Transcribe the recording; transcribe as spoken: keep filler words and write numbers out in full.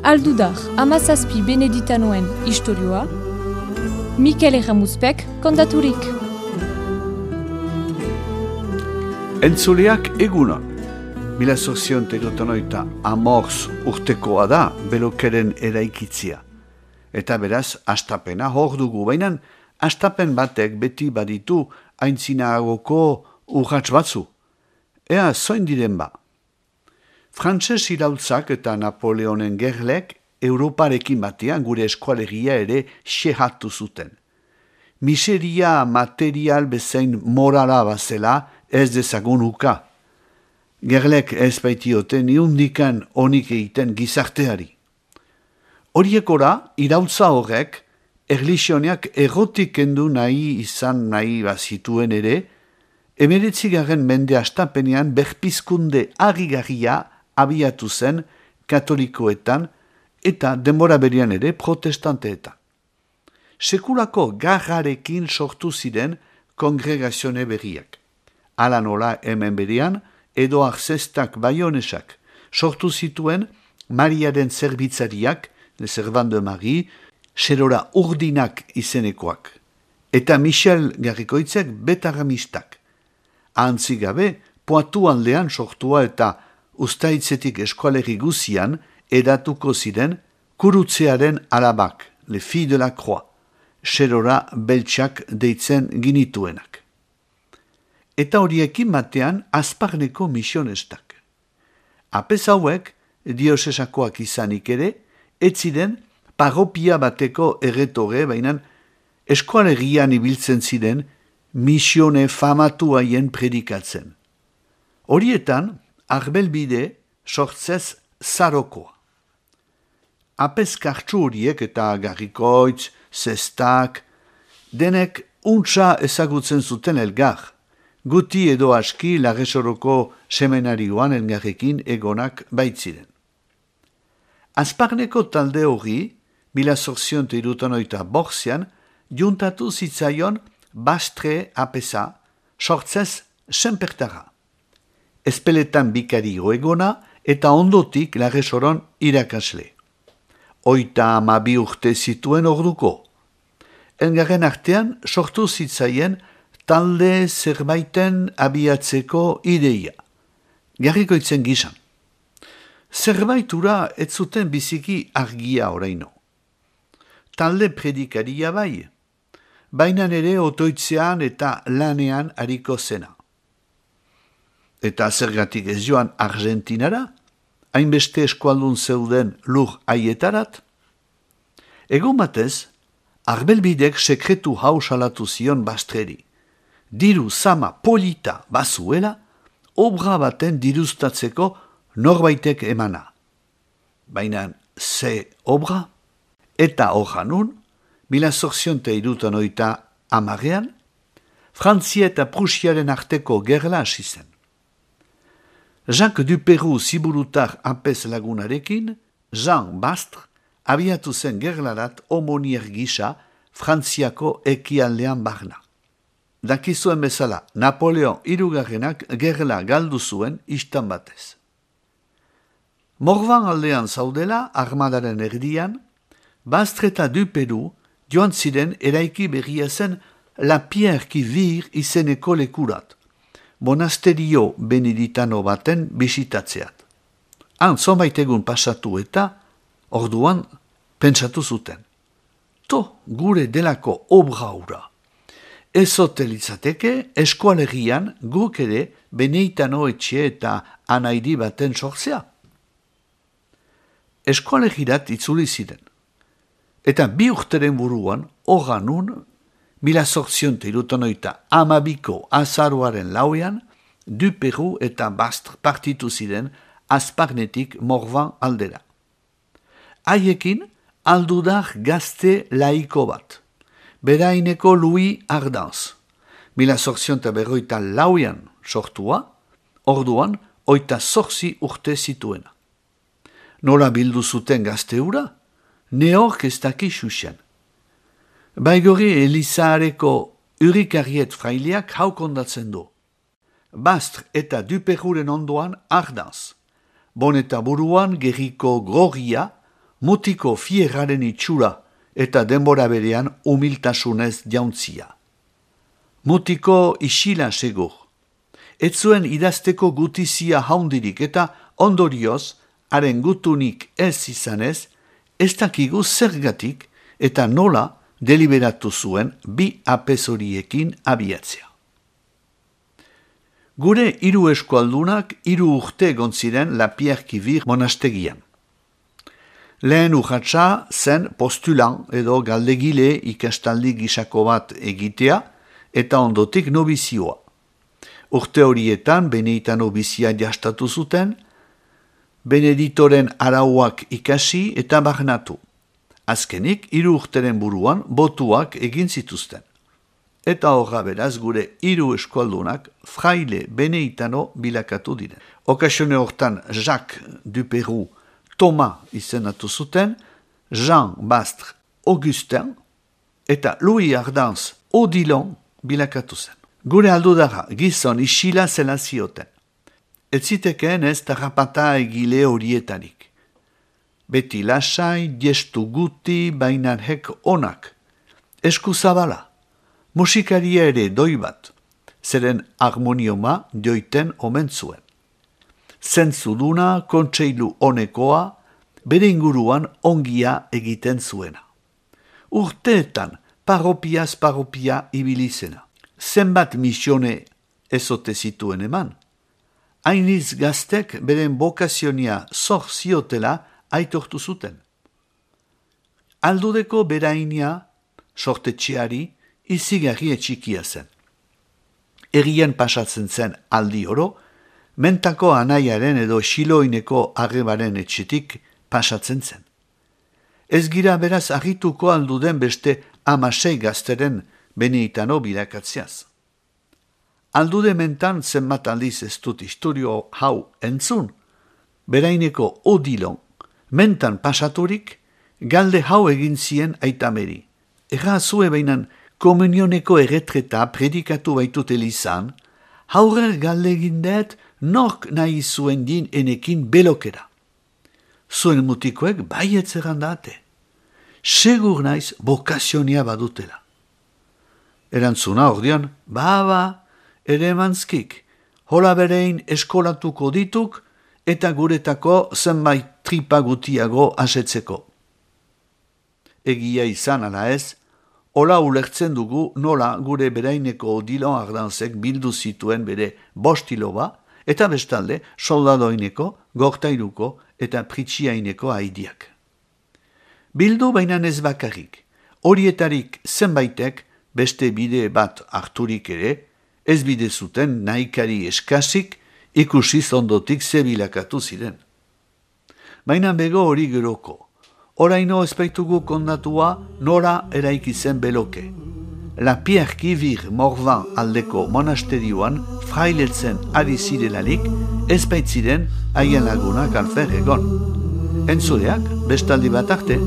Aldudar, amazazpi beneditanoen istorioa, Mikel Erramuzpek kontaturik. Entzuleak egunon. Mila zorzion terotonoita amorz urtekoa da belokeren eraikitzia. Eta beraz, astapena hor dugu, baina astapen batek beti baditu aintzinagoko urratz batzu. Ea, zoin diren ba. Frantses iraultzak eta Napoleonen gerlek Europarekin batean gure eskualegia ere xehatu zuten. Miseria material bezain morala bazela ez dezagun uka. Gerlek ez baitioten niundikan onik egiten gizarteari. Horiekora, iraultza horrek, erlixioniak errotik kendu nahi izan nahi bazituen ere, emeretzigaren mende astapenean berpizkunde harrigarria abiatu zen katolikoetan eta denbora berian ere protestanteetan. Sekulako garrarekin sortu ziren kongregazione berriak. Hala nola hemen berian, Edoar Zestak Baionesak sortu zituen Mariaren zerbitzariak, Le Servan de Marie, Serora Urdinak izenekoak, eta Michel Garrikoitzek Betaramistak. Ahantzi gabe, Poitou aldean sortua eta Uztaitzetik eskualerri guzian edatuko ziren Kurutzearen alabak, Le Filles de la Croix, Serora Beltxak deitzen ginituenak. Eta horiekin batean Azparneko misionestak. Apez hauek, diosesakoak izanik ere, ez ziren parropia bateko erretore, baina eskualerrian ibiltzen ziren misione famatu haien predikatzen. Horietan, Arbelbide sortzez zarokoa. Apez kartsu horiek eta Garrikoitz, Zestak, denek untsa ezagutzen zuten elgar, guti edo aski Larresoroko seminarioan elgarrekin egonak baitziren. Azparneko talde hori, mila zorzion irutanoita borzian, juntatu zitzaion Bastre apesa, sortzez senpertara. Espeletan bikario egona eta ondotik Larresoron irakasle. Oita amabi urte zituen orduko. Elgarren artean sortu zitzaien talde zerbaiten abiatzeko ideia. Garrikoitzen gizan. Zerbaitura ez zuten biziki argia oraino. Talde predikaria bai, baina ere otoitzean eta lanean hariko zena. Eta zergatik ez joan Argentinara, hainbeste eskualdun zeuden lur aietarat? Egon batez, Arbelbidek sekretu hau salatu zion Bastreri. Diru zama polita bazuela, obra baten diruztatzeko norbaitek emana. Baina ze obra? Eta hojanun, mila zorzionte irutan oita amarean, Frantzia eta Prusiaren arteko gerla hasi zen. Jacques Duperoux ziburutar apez lagunarekin, Jean Bastre abiatu zen gerlarat homonier gisa Frantziako ekialdean barna. Dakizuen bezala, Napoleon hirugarrenak gerla galdu zuen istan batez. Morvan aldean zaudela, armadaren erdian, Bastre eta Duperoux joan ziren eraiki berria zen La Pierre qui Vire izeneko lekurat, monasterio beneditano baten bisitatzeat. Han zonbait egun pasatu eta, orduan, pentsatu zuten. To, gure delako obra hura. Ez hotelitzateke, eskualerian guk ere beneitano etxe eta anaidi baten sortzea. Eskualerirat itzuli ziren. Eta bi urteren buruan, horanun, mila zortzionte irutanoita amabiko azaruaren lauean, Duperoux eta Bastre partitu ziren Azparnetik Morvan aldera. Haiekin, aldudar gazte laiko bat, beraineko Louis Ardanz, mila zortzionta berroita lauean sortua, orduan oita zorzi urte zituena. Nola bildu zuten gazte hura? Neork ez daki xuxen. Baigori Elizaareko urikariet fraileak hau kondatzen du. Bastre eta Duperruren ondoan Ardanz. Boneta buruan gerriko grogia, mutiko fierraren itxura eta denbora berean humiltasunez jauntzia. Mutiko isila segur. Ez zuen idazteko gutizia haundirik eta ondorioz, haren gutunik ez izanez, ez dakigu zergatik eta nola deliberatu zuen bi apezoriekin abiatzea. Gure hiru eskualdunak hiru urte egon ziren La Pierre-Quivir monastegian. Lehen urratsa zen postulan edo galdegile ikastaldi gisako bat egitea eta ondotik nobizioa. Urte horietan Beneitan nobizia jastatu zuten, Beneditoren arauak ikasi eta barnatu. Azkenik, hiru urteren buruan botuak egin zituzten. Eta horra beraz gure hiru eskualdunak fraile beneitano bilakatu diren. Okasione hortan Jacques Duperru Thomas izenatu zuten, Jean Bastre Augustin eta Louis Ardanz Odilon bilakatu zen. Gure aldudara gizon isila zela zioten. Ez zitekeen ez tarrapata egile horietarik. Beti lasai, gestu guti, bainan hek onak. Esku zabala. Musikaria ere doi bat, zeren harmonioma joiten omen zuen. Zentzuduna, kontseilu honekoa, bere inguruan ongia egiten zuena. Urteetan, paropiaz paropia ibilizena. Zenbat misione ezote zituen eman. Hainiz gaztek beren bokazionia zor ziotela aitortu zuten. Aldudeko berainia, sortetxeari, izigarri etxikia zen. Erien pasatzen zen aldi oro, mentako anaiaren edo xiloineko arrebaren etxetik pasatzen zen. Ez gira beraz argituko alduden beste amasei gazteren Beneitano bilakatziaz. Aldude mentan zenbat aldiz ez dut historio hau entzun, beraineko Odilon, mentan pasaturik, galde hau egin zien aitameri. Erra zue bainan komunioneko erretreta predikatu baitut elizan, haurer galde egindet nork nahi zuen din enekin belokera. Zuen mutikoek baietzeran date. Segur naiz bokazionia badutela. Erantzuna ordean, ba, ba, ere emantzkik, hola berein eskolatuko dituk eta guretako zenbait tripa gutiago asetzeko. Egia izan ala ez, hola ulertzen dugu nola gure beraineko Odilon Ardanzek bildu zituen bere bostiloba eta bestalde soldadoineko, gortairuko eta pritsiaineko haidiak. Bildu bainan ez bakarrik, horietarik zenbaitek beste bide bat harturik ere, ez bide zuten nahikari eskasik ikusiz ondotik zebilakatu ziren. Baina bego hori geroko, oraino ezpaitugu kondatua nora eraiki zen beloke. La Pierre-Quivir Morvan aldeko monasterioan frailetzen ari zirelarik ezpaitziren haien lagunak alfer egon. Entzuleak bestaldi bat arte.